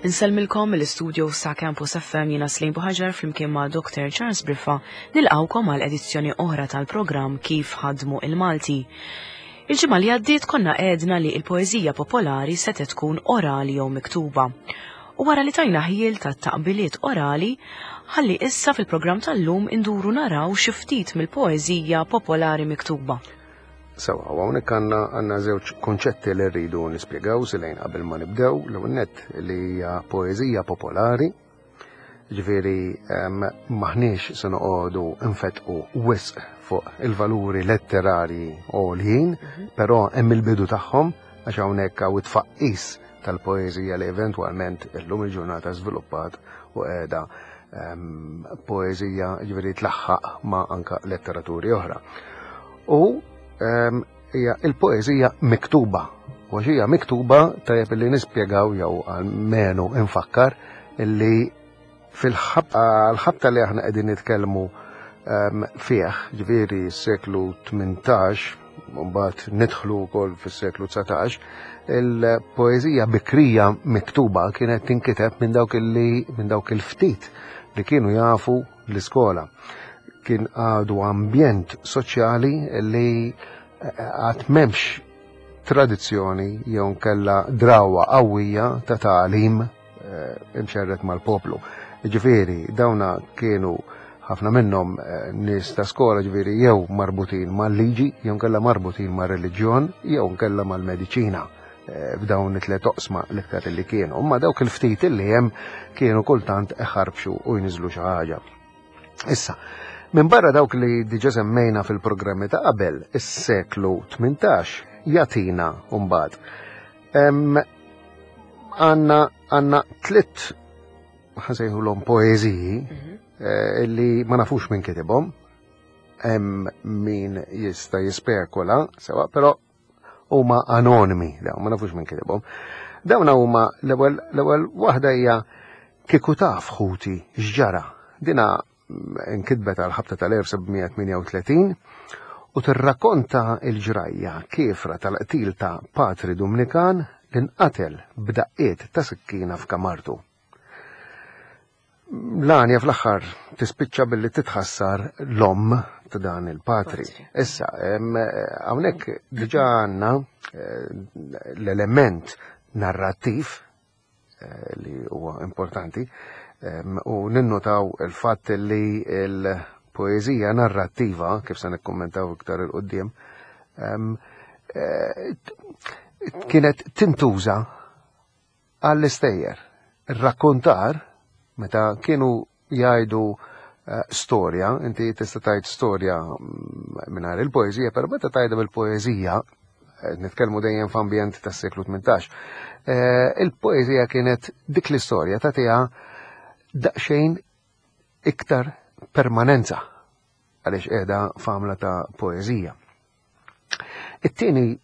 Insellmilkom mill-istudio sa' Campus FM jiena Slim Buħaġar flimkien ma' Dr. Charles Briffa nilqawkom għal edizzjoni oħra tal-programm Kif ħadmu il-Malti. Il-ġimgħa li għaddiet konna għedna li l-poeżija popolari setgħet tkun orali jew miktuba. U wara li tajna ħjiel ta' taqbiliet orali, ħalli issa fil-programm tal-lum induru naraw xi ftit mill-poeżija popolari miktuba. Sewa, u hawnhekk għandna għandna żewġ konċetti li rridu nispjegaw silejn qabel ma nibdew, l nett li hija poeżija popolari, ġifieri maħniex se noqogħdu nfetqu wisq fuq il-valuri letterarji għoljin, mhm. però hemm il-bidu tagħhom għax hawnhekk hawn it-tfaqqis tal-poeżija li eventwalment illum il-ġurnata żviluppat u qiegħda poeżija ġifieri tlaħħaq ma' anka letteraturi oħra. U hija il-poeżija miktuba. U għax hija miktuba tajjeb li nispjegaw jew almenu infakkar illi fil-ħabta li aħna qegħdin nitkellmu fih, ġifieri s-seklu 18, mbagħad nidħlu wkoll fis-seklu 19, il-poeżija bikrija miktuba kienet tinkiteb minn dawk illi minn dawk il-ftit li kienu jafu l-iskola. Kien għadu ambjent soċjali li eh, għad m'hemmx tradizzjoni jew nkella drawa qawwija ta' tagħlim eh, imxerret mal-poplu. Ġifieri, dawna kienu ħafna minnhom eh, nies ta' skola ġifieri jew marbutin mal-liġi, jew nkella marbutin mar-reliġjon, jew nkella mal-mediċina eh, f'dawn it-tliet oqsma l-iktar li kienu. Imma dawk il-ftit li hemm kienu kultant iħarbxu u jniżlu xi ħaġa. Issa, minn barra dawk li diġa semmejna fil-programmi ta' qabel, is-seklu 18 jatina mbagħad. Għanna għanna tlitt ħasejħulhom poeżiji mhm. eh, li ma nafux minn kitibhom, hemm min jista' jispekula, sewa, però huma anonimi, dawn ma nafux minn kitibhom. Dawn huma l-ewwel l-ewwel waħda hija kieku taf ħuti x'ġara. Dina nkitbet għal ħabta tal-1738 u tirrakkonta l-ġrajja kiefra tal-qtil ta' Patri Dumnikan li nqatel b'daqqiet ta' sikkina f'kamartu. L-għanja fl-aħħar tispiċċa billi titħassar l-omm ta' dan il-patri. Issa, hawnhekk diġà għandna eh, l-element narrattiv eh, li huwa importanti u ninnotaw il-fatt li l-poeżija narrattiva, kif se nikkummentaw iktar il-qudiem, eh, kienet tintuża għall-istejjer. Ir-rakkontar, meta kienu jgħidu eh, storja, inti tista' tgħid storja mm, mingħajr il-poeżija, però meta tgħidha bil-poeżija, eh, nitkellmu dejjem f'ambjent tas-seklu 18, eh, il-poeżija kienet dik l-istorja tagħtiha daqsxejn iktar permanenza għaliex qiegħda f'għamla ta' poeżija. It-tieni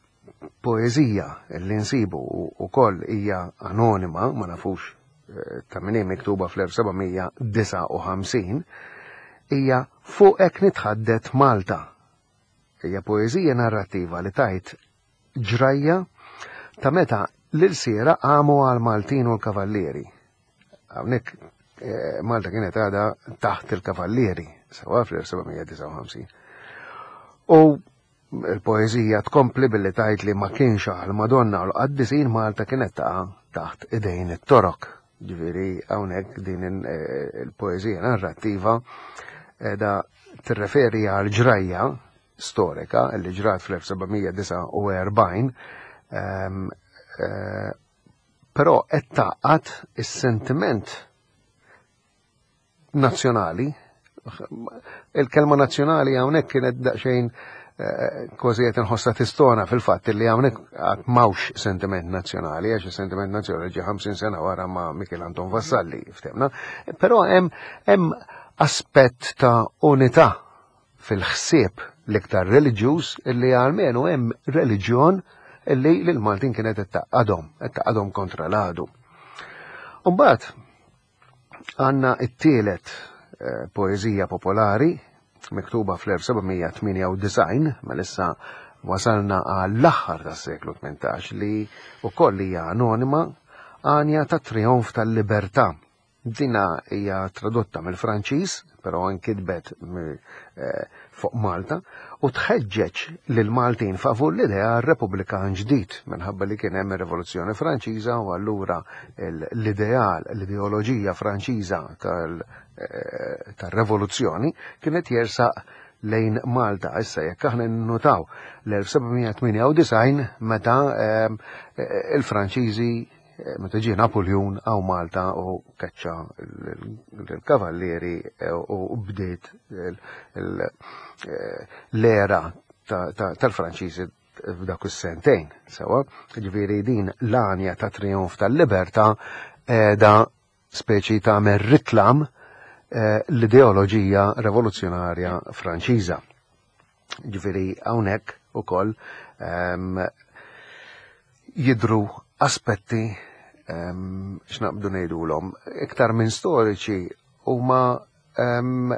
poeżija li nsibu wkoll hija anonima, ma nafux eh, ta' min miktuba fl-1759, hija Fuqek nitħaddet Malta. Hija poeżija narrattiva li tajt ġrajja ta' meta l-ilsiera qamu għal Maltin u l-Kavallieri. Hawnhekk eh, Malta kienet għadha taħt il-Kavallieri, sewa fl-1759. U il-poeżija tkompli billi tajt li ma kienx għal Madonna u l-qaddisin Malta kienet taqa' taħt idejn it-Torok. Ġifieri hawnhekk din eh, il-poeżija narrattiva da tirreferi għal ġrajja storika li ġrat fl-1749 ehm, eh, però qed taqgħad is-sentiment nazzjonali. Il-kelma nazzjonali hawnhekk kienet daqsxejn eh, kważi qed inħossha tistona fil-fatt li hawnhekk qatt m'hawnx sentiment nazzjonali għax is-sentiment nazzjonali ġie 50 sena wara ma' Michel Anton Vassalli ftemna, però hemm hemm aspett ta' unità fil-ħsieb l-iktar reliġjuż illi għalmenu hemm reliġjon illi lil Maltin kienet qed taqadhom, qed taqadhom kontra l-għadu. Umbagħad Għanna it-tielet eh, poeżija popolari miktuba fl-1798, ma issa wasalna għall-aħħar tas-seklu 18 li wkoll hija anonima. Għanja ta' Trionf tal-Libertà. Dina hija tradotta mill-Franċiż, però nkitbet eh, fuq Malta, u tħeġġeġ lil Maltin favur l-idea Repubblikan ġdid minħabba li kien hemm ir-Rivoluzzjoni Franċiża u allura l-ideal, l-ideoloġija Franċiża eh, tal-revoluzzjoni kienet jersaq lejn Malta. Issa jekk aħna nnutaw l-1798 meta eh, il-Franċiżi Eh, meta ġie Napoleon għaw Malta u kaċċa l-kavallieri eh, u bdiet eh, l-era tal-Franċiżi f'dak is-sentejn. Sewa, ġifieri din l-għanja ta' trionf tal-libertà da speċi ta' ritlam l-ideoloġija revoluzzjonarja Franċiża. Ġifieri hawnhekk ukoll ehm, jidru aspetti ehm, x'naqbdu ngħidulhom iktar minn storiċi huma ehm,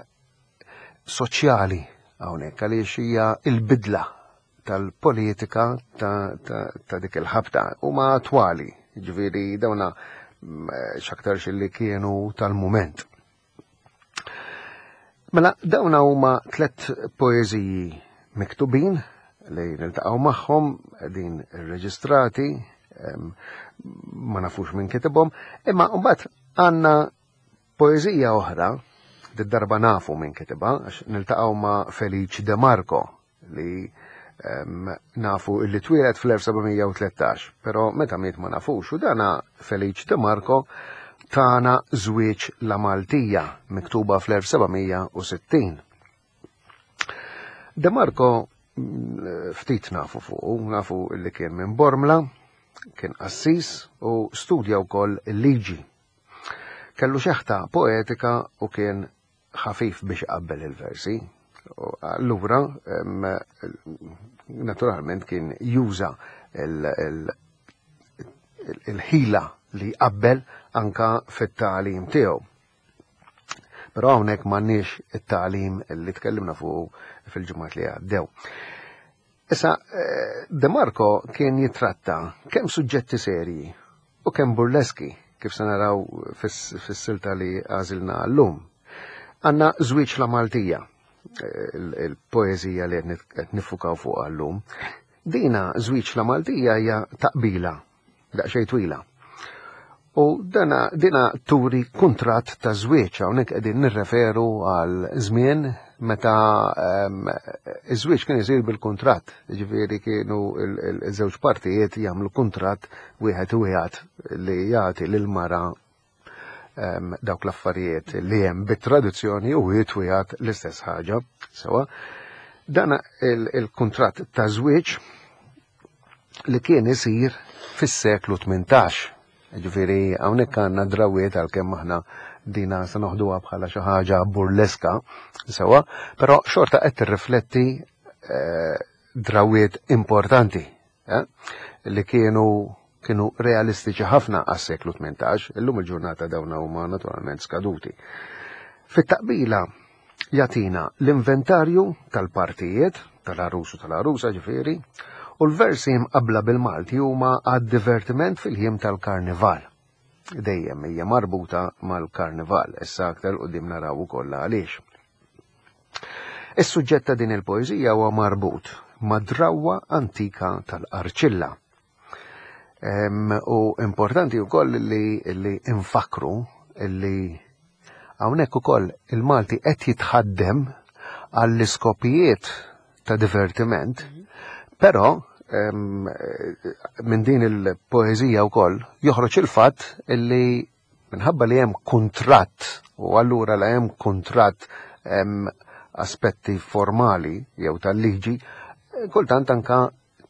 soċjali hawnhekk għaliex hija l-bidla tal-politika ta', ta, ta dik il-ħabta huma attwali, ġifieri dawna mm, x'aktarx li kienu tal-mument. Mela, dawna huma tlet poeżiji miktubin li niltaqgħu magħhom din irreġistrati, ma nafux minn kitibhom, imma mbagħad għandna poeżija oħra, darba nafu minn kitibha, għax niltaqgħu ma' Felice De Marco li nafu illi twieled fl-1713, però meta miet ma nafux u dana Felice De Marco tana żwieġ la Maltija miktuba fl-1760. De Marco mm, ftit nafu fuq, nafu li kien minn Bormla, kien qassis u studja wkoll il-liġi. Kellu xeħta poetika u kien ħafif biex iqabbel il-versi. Allura, naturalment kien juża il-ħila li jqabbel anka fit-tagħlim tiegħu. Però hawnhekk m'għandniex it-tagħlim li tkellimna fuq fil-ġimgħat li għaddew. Issa, eh, De Marco kien jitratta kemm suġġetti serji u kemm burleski, kif se naraw fis-silta li għażilna llum. Għandna żwieġ la Maltija, eh, il-poeżija li qed nifukaw fuq llum. Dina żwieġ la Maltija hija taqbila daqsxejn twila. U dana dina turi kuntratt ta' żwieġ hawnhekk qegħdin nirreferu għal żmien meta ehm, iż-żwieġ kien isir bil-kuntratt, ġifieri kienu il-żewġ partijiet jagħmlu kuntratt wieħed u wieħed li jagħti lil mara ehm, dawk l-affarijiet li hemm bit-tradizzjoni u wieħed wieħed l-istess ħaġa. Sewa, dana il-kuntratt ta' żwieġ li kien isir fis-seklu 18. Ġifieri hawnhekk għandna drawiet għalkemm aħna dina se noħduha bħala xi ħaġa burleska, sewa, però xorta qed tirrifletti eh, drawiet importanti eh, li kienu kienu realistiċi ħafna għas-seklu 18, illum il-ġurnata dawna huma naturalment skaduti. Fit-taqbila Jagħtina l-inventarju tal-partijiet, tal-għarus u tal-għarusa ġifieri, u l-versi mqabbla bil-Malti huma għad-divertiment fil-jiem tal-Karnival. Dejjem hija marbuta mal-Karnival, issa aktar quddiem naraw ukoll għaliex. Is-suġġett ta' din il-poeżija huwa marbut mad-drawwa antika tal-qarċilla. U importanti wkoll li, li infakru li hawnhekk ukoll il-Malti qed jitħaddem għall-iskopijiet ta' divertiment, però minn din il-poeżija wkoll joħroġ il-fatt li minħabba li hemm kuntratt u allura la hemm kuntratt hemm aspetti formali jew tal-liġi, kultant anka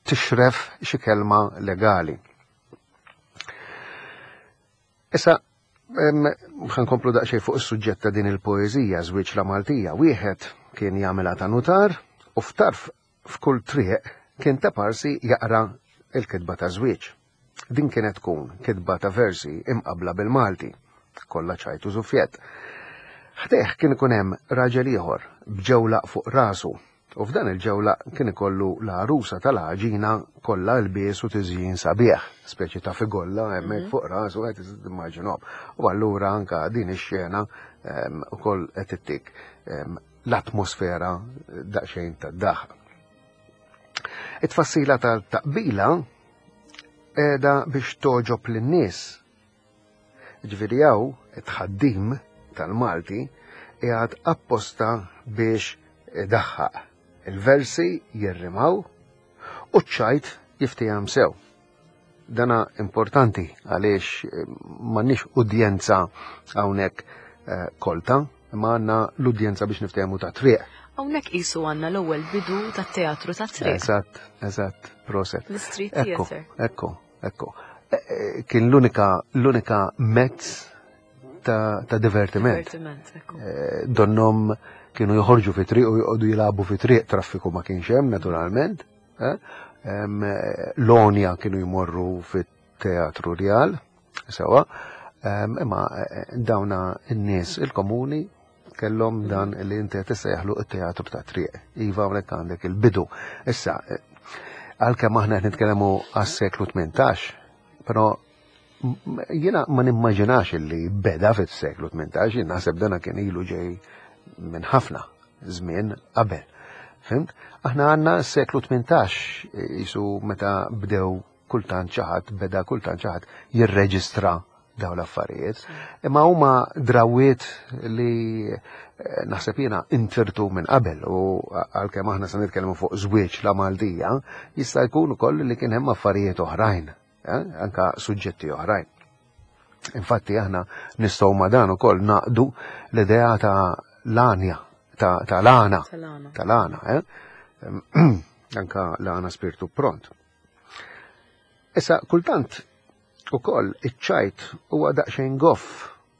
tixref xi kelma legali. Issa, ħankomplu daqsxejn fuq is-suġġett ta' din il-poeżija żwieġ la Maltija. Wieħed kien jagħmilha ta' nutar u f'tarf f'kull triq kien ta' parsi jaqra il-kitba ta' żwieġ. Din kienet tkun kitba ta' versi imqabbla bil-Malti, kollha ċajt u żuffjett. Ħdejh kien ikun hemm raġel ieħor b'ġewlaq fuq rasu. U f'dan il-ġewlaq kien ikollu l-għarusa tal-għaġina kollha lbies u tiżjin sabiħ, speċi ta' figolla hemmhekk mhm. fuq rasu qed timmaġinhom. U allura anka din ix-xena ehm, ukoll qed ittik ehm, l-atmosfera daqsxejn tad-daħ. It-tfassila tal-taqbila qiegħda biex toġob lin-nies Ġifieri hawn it-tħaddim tal-Malti qiegħed apposta biex idaħħaq. Il-versi jirrimaw u ċ-ċajt jiftiehem sew. Dana importanti għaliex eh, m'għandniex udjenza hawnhekk eh, kolta, imma għandna l-udjenza biex niftehmu ta' triq. Hawnhekk qisu għandna l-ewwel bidu tat-teatru ta' triq. Eżatt, eżatt, proset. L-street theater. Ekku, Ekku, e, e, kien l-unika l-unika mezz ta', ta divertiment. Divertiment, ekku. E, donnom kienu joħorġu fi triq u joqogħdu jilagħbu fi triq, traffiku ma kienx hemm naturalment. L-onja kienu jmorru fit-teatru Rjal, sewa, imma dawna n-nies il-komuni kellhom dan li inti qed issejjaħlu t-teatru ta' triq. Iva hawnhekk għandek il-bidu. Issa, għalkemm aħna qed nitkellmu għas-seklu 18, però jiena ma nimmaġinax li beda fis-seklu 18, jien naħseb dana kien ilu ġej minn ħafna żmien qabel. Fimt? Aħna għandna s-seklu 18 jisu meta bdew kultant xi ħadd beda kultant xi ħadd jirreġistra dawn l-affarijiet. Imma huma drawiet li eh, naħseb jiena intirtu minn qabel u għalkemm aħna se nitkellmu fuq żwieġ la Maltija, jista' jkun ukoll li kien hemm affarijiet oħrajn, eh, anka suġġetti oħrajn. Infatti aħna nistgħu ma dan ukoll naqdu l-idea ta' l-għanja, ta' l-għana, tal-għana, eh? Anka l-għana spirtu pront. Issa, kultant ukoll iċ-ċajt huwa daqsxejn goff.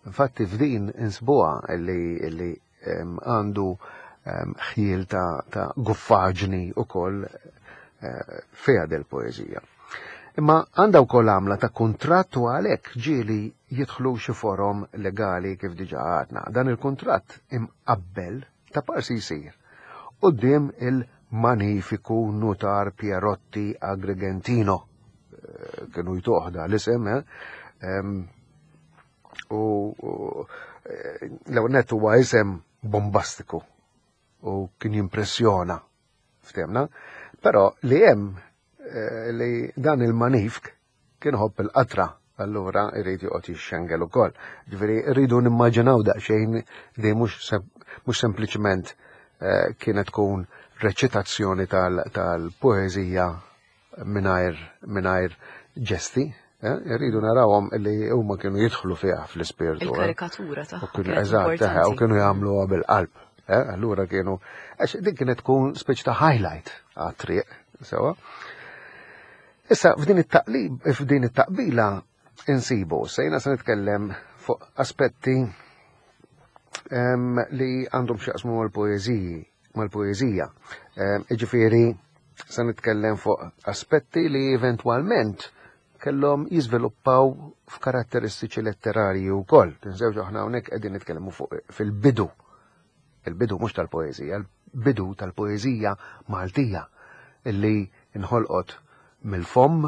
Infatti f'din insbuha li għandu ħjiel ta' guffaġni ukoll eh, fiha del poeżija. Imma għandha wkoll għamla ta' kuntratt u għalhekk ġieli jidħlu xi forom legali kif diġà għadna. Dan il-kuntratt imqabbel ta' parsi jsir quddiem il-Manifiku Nutar Pierotti Agrigentino. Eh, kienu jtuħda l-isem, eh? U eh, l-ewwel huwa isem bombastiku u kien jimpressjona ftemna, però li hemm li dan il-manifk Kien iħobb il-qatra, allura jrid joqgħod jixxengel ukoll. Ġifieri rridu nimmaġinaw daqsxejn li mhux mhux sempliċement eh, kienet tkun reċitazzjoni tal-poeżija mingħajr mingħajr ġesti, eh, irridu narawhom li huma kienu jidħlu fiha fl-ispirtu. Eh. Il-karikatura tagħha. Eżatt, u kienu jagħmluha bil-qalb. Allura kienu, għax din kienet tkun speċi ta' highlight għat-triq, sewa. Issa f'din it-taqlib, f'din it-taqbila insibu, se jiena se nitkellem fuq aspetti li għandhom x'jaqsmu mal-poeżiji, mal-poeżija. Jiġifieri se nitkellem fuq aspetti li eventwalment kellhom jiżviluppaw f'karatteristiċi letterarji wkoll. Tinsewx aħna hawnhekk qegħdin nitkellmu fuq fil-bidu. Il-bidu mhux tal-poeżija, il-bidu tal-poeżija Maltija illi inħolqot mill-fomm,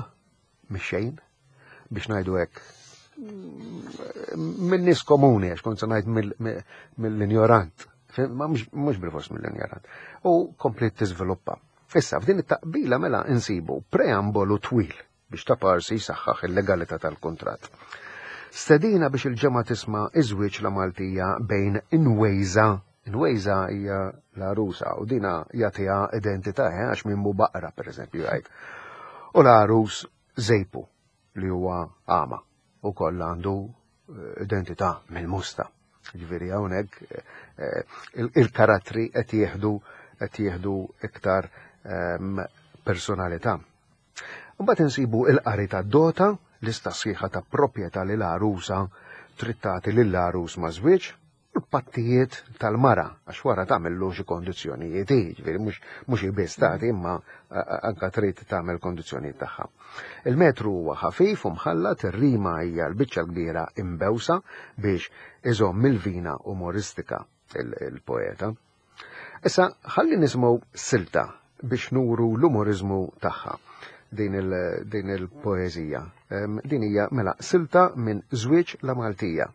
mix-xejn, biex ngħidu hekk minn nies komuni, għax kont se ngħid mill-injorant, ma mhux bil-fors mill-injorant. U komplet tiżviluppa. Issa, f'din it-taqbila mela insibu preambolu twil biex ta' parsi jsaħħaħ il-legalità tal-kuntratt. Stedina biex il-ġemgħa tisma' iż-żwieġ la Maltija bejn Inwejża, Inwejża hija l-għarusa u dina jagħtiha identità eh, għax min mhu baqra pereżempju jgħid. U l-għarus Żejpu li huwa għama ukoll għandu eh, identità mill-musta. Ġifieri hawnhekk eh, il-karattri qed jieħdu qed jieħdu iktar ehm, personalità. Mbagħad insibu il-qari tad-dota, lista sħiħa ta' proprjetà li l-għarusa trid tagħti lill-għarus maż-żwieġ, u l-pattijiet tal-mara, għax wara tagħmillu xi kondizzjonijiet hi, ġifieri mhux hi biss tagħti imma anka trid tagħmel kondizzjonijiet tagħha. Il-metru huwa ħafif u mħallat, ir-rima hija l-biċċa l-kbira imbewsa biex iżomm il-vina umoristika il-poeta. Issa ħalli nisimgħu silta biex nuru l-umoriżmu tagħha din il-poeżija. Din hija mela silta minn Żwieġ la Maltija.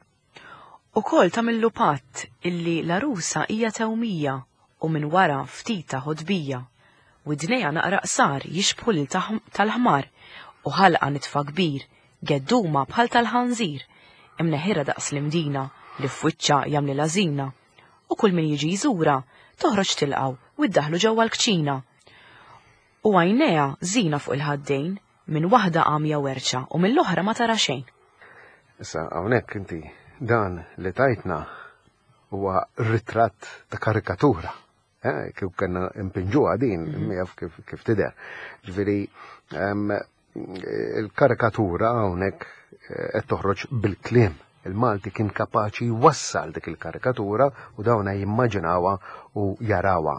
Ukoll tagħmillu patt illi l-għarusa hija tewmija u minn wara ftit ta' ħotbija. Widnejha naqra qsar jixbħu lil tal-ħmar u ħalqha nitfa kbir, gedduma bħal tal-ħanżir, imneħirha daqs l-imdina li f'wiċċha jagħmlilha żina. U kull min jiġi jżurha toħroġ tilqgħu u ddaħħlu ġewwa l-kċina. U għajnejha żina fuq il-ħaddejn, minn waħda għamja werċa u mill-oħra ma tara xejn. Issa hawnhekk inti dan li tajtna huwa ritratt ta' karikatura. Eh, kif kellna impinġuha din, mhm. jaf kif, kif tidher. Ġifieri il-karikatura hawnhekk eh, qed toħroġ bil-kliem. Il-Malti kien kapaċi jwassal dik il-karikatura u dawna jimmaġinawha u jarawha.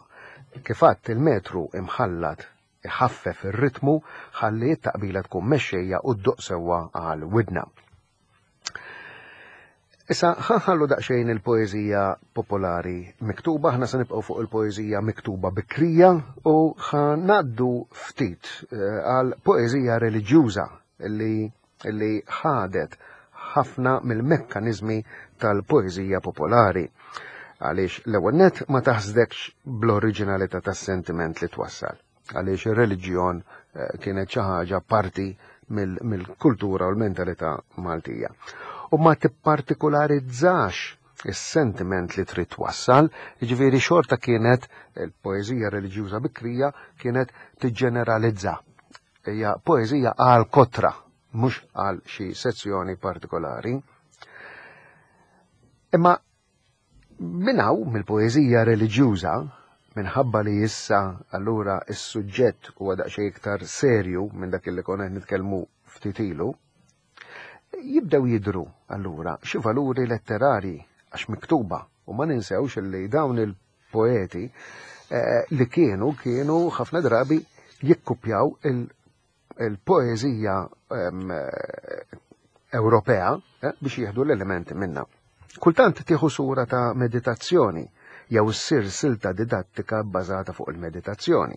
Kif għadt il-metru imħallat iħaffef ir-ritmu ħalli t-taqbila tkun mexxejja u ddoqq sewwa għal widna. Issa ħanħallu daqsxejn il-poeżija popolari miktuba, aħna se nibqgħu fuq il-poeżija miktuba bikrija u ħanaddu ftit eh, għal poeżija reliġjuża li li ħadet ħafna mill-mekkaniżmi tal-poeżija popolari. Għaliex l-ewwel nett ma taħsdekx bl-oriġinalità tas-sentiment li twassal. Għaliex ir-reliġjon eh, kienet xi ħaġa parti mill-kultura u l-mentalità Maltija. U ma tippartikularizzax is-sentiment li trid twassal, jiġifieri xorta kienet il-poeżija reliġjuża bikrija kienet tiġġeneralizza Hija poeżija għal kotra, mhux għal xi sezzjoni partikolari. Imma minn hawn mill-poeżija reliġjuża, minħabba li issa allura s-suġġett huwa daqsxejn iktar serju minn dak li konna qed nitkellmu ftit ilu, jibdew jidhru allura xi valuri letterarji għax miktuba u ma ninsewx li dawn il poeti eh, li kienu kienu ħafna drabi jikkupjaw il-poeżija ehm, Ewropea eh, biex jieħdu l-elementi minna. Kultant tieħu sura ta' meditazzjoni jew ssir silta didattika bbażata fuq il-meditazzjoni.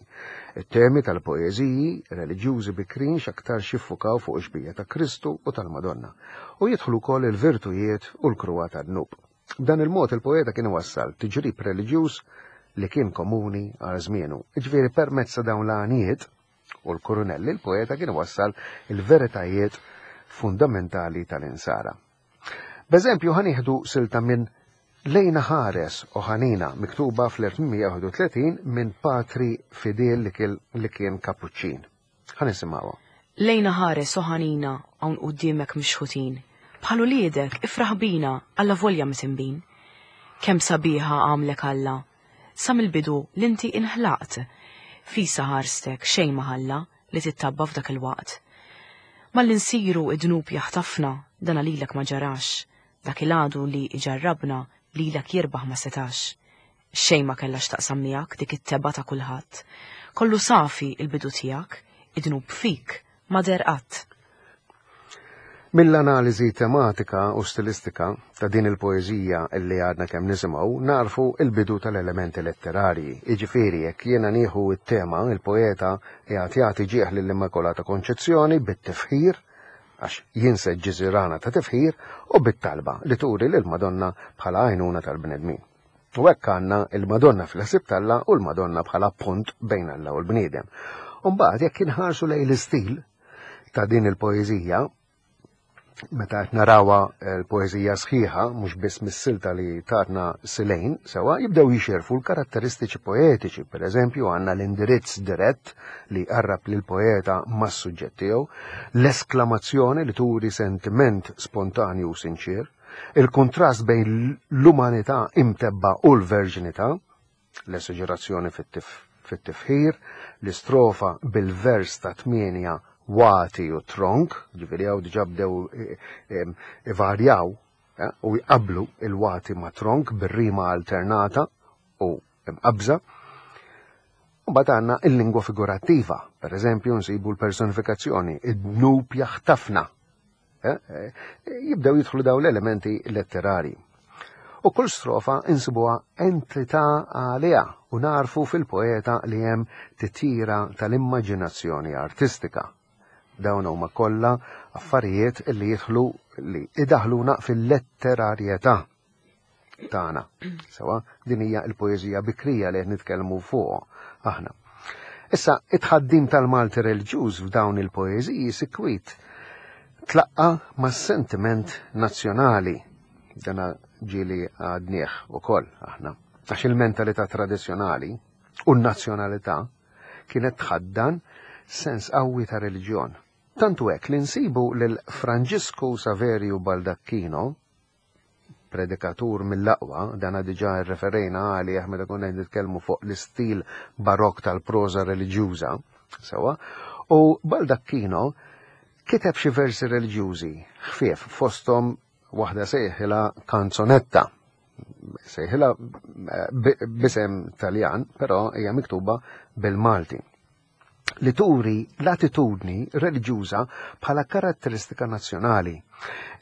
It-temi tal-poeżiji reliġjużi bikrin x'aktar xiffukaw fuq ix-xbija ta' Kristu u tal-Madonna u jidħlu wkoll il-virtujiet u l-kruha tad-dnub. B'dan il-mod il-poeta kien iwassal tiġrib reliġjuż li kien komuni għal żmienu. Jiġifieri permezz ta' dawn l-għanijiet u l-kurunelli l-poeta kien iwassal il-veritajiet fundamentali tal-insara. B'eżempju ħa nieħdu silta minn Lejna ħares o ħanina miktuba fl-1831 minn Patri Fidel li kien Kapuċċin. Ħa nisimgħuha. Lejna ħares o ħanina hawn quddiemek mixħutin. Bħal uliedek ifraħ bina allavolja mitinbin. Kemm sabiħa għamlek Alla. Sa mill-bidu l-inti inħlaqt. Fisa ħarstek xejn ma ħalla li tittabba f'dak il-waqt. Malli nsiru id-dnub jaħtafna dana lilek ma ġarax. Dak il-għadu li iġarrabna lilek jirbaħ ma setax. Xejn ma kellha x'taqsam miegħek dik it-tebgħa ta' kulħadd. Kollu safi il-bidu tiegħek, id-dnub fik ma deher qatt. Mill-analiżi tematika u stilistika ta' din il-poeżija li għadna kemm nisimgħu nagħrfu l-bidu tal-elementi letterarji. Jiġifieri jekk jiena nieħu t-tema, il-poeta qiegħed jagħti ġieħ lill-Immakulata Konċezzjoni bit-tifħir, għax jinseġ ġiżirana ta' tifħir, u bit-talba li turi lill-Madonna bħala għajnuna tal-bnedmin. U hekk għandna il-Madonna fil-ħsieb t'Alla u l-Madonna bħala pont bejn Alla u l-bniedem. U mbagħad jekk inħarsu lejn l-istil ta' din il-poeżija, meta qed narawha l-poeżija sħiħa, mhux biss mis-silta li tatna Silejn, sewa jibdew jixirfu l-karatteristiċi poetiċi, per eżempju għandna l-indirizz dirett li jqarrab lill-poeta mas-suġġett tiegħu, l-esklamazzjoni li turi sentiment spontanju u sinċier, Il-kuntrast bejn l-umanità imtebba u l-verġinità, l-esaġerazzjoni fit-tifħir, l-istrofa bil-vers ta' tmienja wati u tronk, ġifieri hawn diġà bdew eh, eh, ivarjaw eh, u jqablu il-wati ma' tronk bir-rima alternata u imqabża. Mbagħad għandna il-lingwa figurattiva, per eżempju nsibu l-personifikazzjoni, id-dnub jaħtafna, Eh, eh, jibdew jidħlu dawn l-elementi letterari. U kull strofa insibuha entità għaliha u narfu fil-poeta li hemm titjira tal-immaġinazzjoni artistika. Dawn huma kollha affarijiet li jidħlu li idaħluna fil-letterarjetà tagħna. Sewa, din hija l-poeżija bikrija li qed nitkellmu fuq aħna. Issa, it-tħaddim tal-Malti reliġjuż f'dawn il-poeżiji sikwit tlaqqa mas-sentiment nazzjonali. Dana ġieli għadnieh ukoll aħna. Għax il-mentalità tradizzjonali u n-nazzjonalità kienet tħaddan sens qawwi ta' reliġjon. Tant hu hekk li nsibu lil Franġisku Saverju Baldacchino, predikatur mill-aqwa, dana diġà rreferejna għalih meta konna qed nitkellmu fuq l-istil barokk tal-proża reliġjuża, sewwa, u Baldacchino kiteb xi versi reliġjużi ħfief fosthom waħda sejħilha kanzonetta. Sejħilha eh, b'isem Taljan, però hija miktuba bil-Malti li turi l-attitudni reliġjuża bħala karatteristika nazzjonali.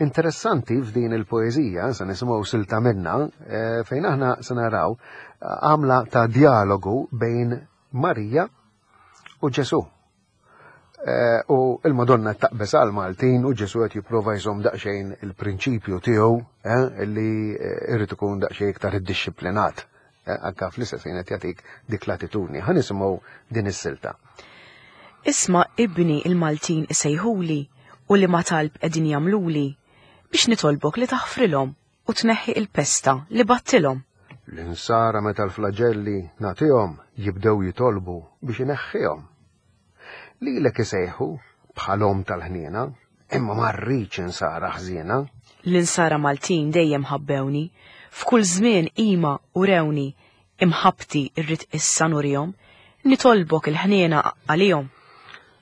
Interessanti f'din il-poeżija, se nisimgħu silta minna, eh, fejn aħna se naraw eh, għamla ta' dialogu bejn Marija u Ġesù. Eh, u il-Madonna taqbeż għal Maltin u Ġesù qed jipprova jżomm daqsxejn il-prinċipju tiegħu eh, li eh, irid ikun daqsxejn iktar iddixxiplinat. Anka fl-istess ħin qed jagħtik dik l-attitudni. Ħa nisimgħu din is-silta. Isma' ibni il-Maltin isejħuli u li ma talb qegħdin jagħmluli biex nitolbok li taħfrilhom u tneħħi il-pesta li battilhom. L-insara meta l-flaġelli nagħtihom jibdew jitolbu biex ineħħihom. Lilek isejħu bħal omm tal-ħniena, imma ma rridx insara ħżiena. L-insara Maltin dejjem ħabbewni, f'kull żmien qima urewni, imħabbti rrid issa nurihom, nitolbok il-ħniena għalihom.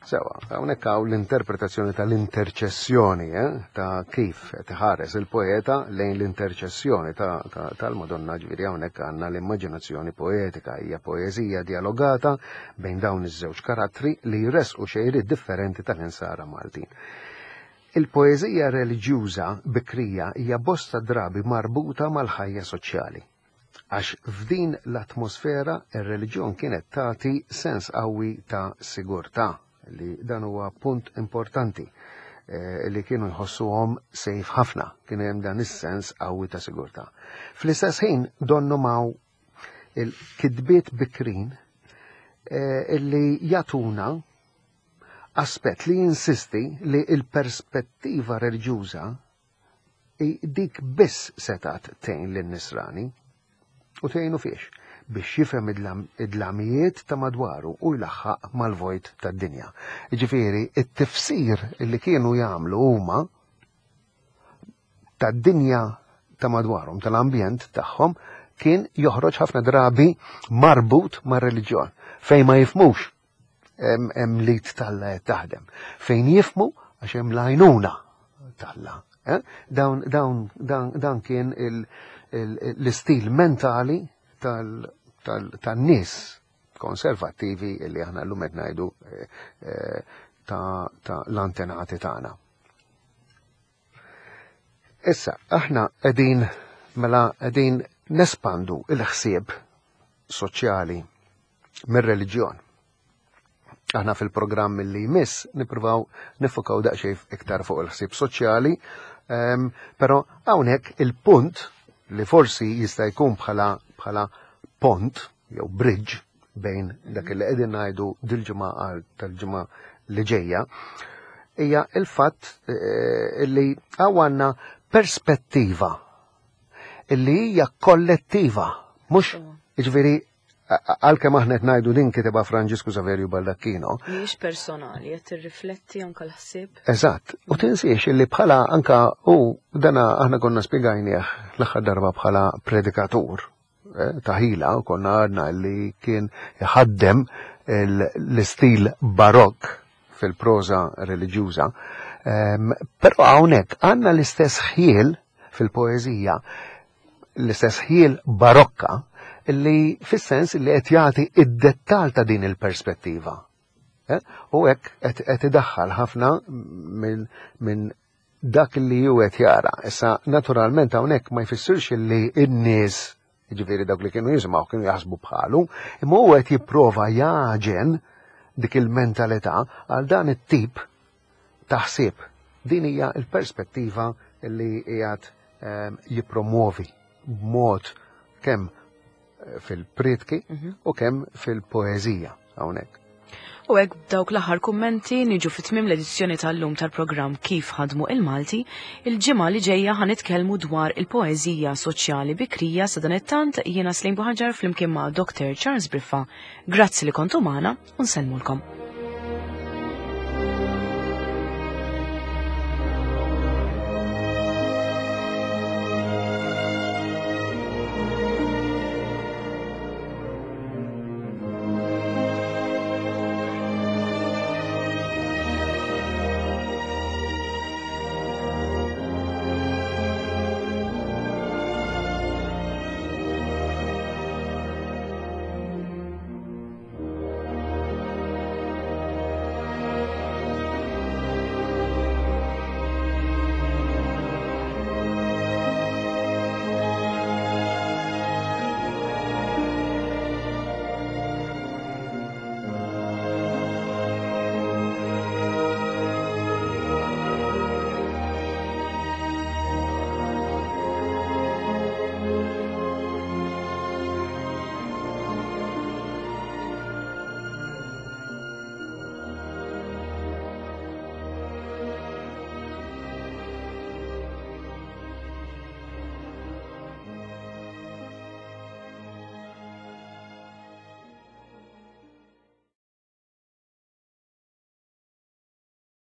Sewa, hawnhekk hawn l-interpretazzjoni tal-interċessjoni, eh, ta' kif qed iħares il-poeta lejn l-interċessjoni tal-Madonna ġifieri hawnhekk għandna l-immaġinazzjoni poetika, hija poeżija dialogata bejn dawn iż-żewġ karattri li jressqu xejriet differenti tal-insara Maltin. Il-poeżija reliġjuża bikrija hija bosta drabi marbuta mal-ħajja soċjali. Għax f'din l-atmosfera ir-reliġjon kienet tagħti sens qawwi ta' sigurtà, li dan huwa punt importanti eh, li kienu jħossuhom sejf ħafna, kien hemm dan is-sens qawwi ta' sigurtà. Fl-istess ħin donnu maw il-kitbiet bikrin eh, illi jatuna aspett li jinsisti li il-perspettiva reliġjuża dik biss setat tgħin lin-nisrani. U tgħinu fiex? Biex jifhem id-dlamijiet ta' madwaru u jlaħħaq mal-vojt tad-dinja. Ġifieri, it-tifsir li kienu jagħmlu huma tad-dinja ta' madwarhom, tal-ambjent tagħhom, kien joħroġ ħafna drabi marbut mar-reliġjon, fejn ma jifmux hemm lit talla qed taħdem. Fejn jifmu għax hemm l-għajnuna talla. Eh? Dawn, dawn, dan, dan kien l-istil mentali tan-nies konservattivi li aħna llum qed ngħidu eh, eh, ta' l-antenati tagħna. Issa, aħna qegħdin mela qegħdin nespandu il-ħsieb soċjali mir-reliġjon. Aħna fil-programm li jmiss nippruvaw nifukaw daqsxejn iktar fuq il-ħsieb soċjali, ehm, però hawnhekk il-punt li forsi jista' jkun bħala bħala pont jew bridge bejn dak li qegħdin ngħidu dil-ġimgħa għal tal-ġimgħa li ġejja, hija il-fatt eh, li għandna perspettiva illi hija kollettiva, mhux jiġifieri għalkemm aħna qed ngħidu din kitibha Franġisku Saverju Baldacchino. Mhijiex personali, qed tirrifletti anke l-ħsieb. Eżatt, u tinsiex illi bħala anka u dana aħna konna spjegajnieh l-aħħar darba bħala predikatur eh, ta' ħila u konna għadna li kien iħaddem l-istil barokk fil-proża reliġjuża. Ehm, però hawnhekk għandna l-istess ħiel fil-poeżija, l-istess ħiel barokka li fis-sens li qed jagħti id-dettal ta' din il-perspettiva. Eh? U hekk qed idaħħal ħafna minn dak li ju qed jara. Issa naturalment hawnhekk ma jfissirx li n-nies jiġifieri dawk li kienu jisimgħu kienu jaħsbu bħalu, imma huwa qed jipprova jaġen dik il-mentalità għal dan it-tip ta' ħsieb. Din hija l-perspettiva li qiegħed ehm, jippromuovi b'mod kemm eh, fil-prietki mhm. u kemm fil-poeżija hawnhekk. U hekk b'dawk l-aħħar kummenti niġu fi tmiem l-edizzjoni tal-lum tal-programm Kif ħadmu il-Malti, il-ġimgħa li ġejja ħa nitkellmu dwar il-poeżija soċjali bikrija sadanittant jiena Slim Buħaġar flimkien ma' Dr. Charles Briffa. Grazzi li kontu magħna u nsellmulkom.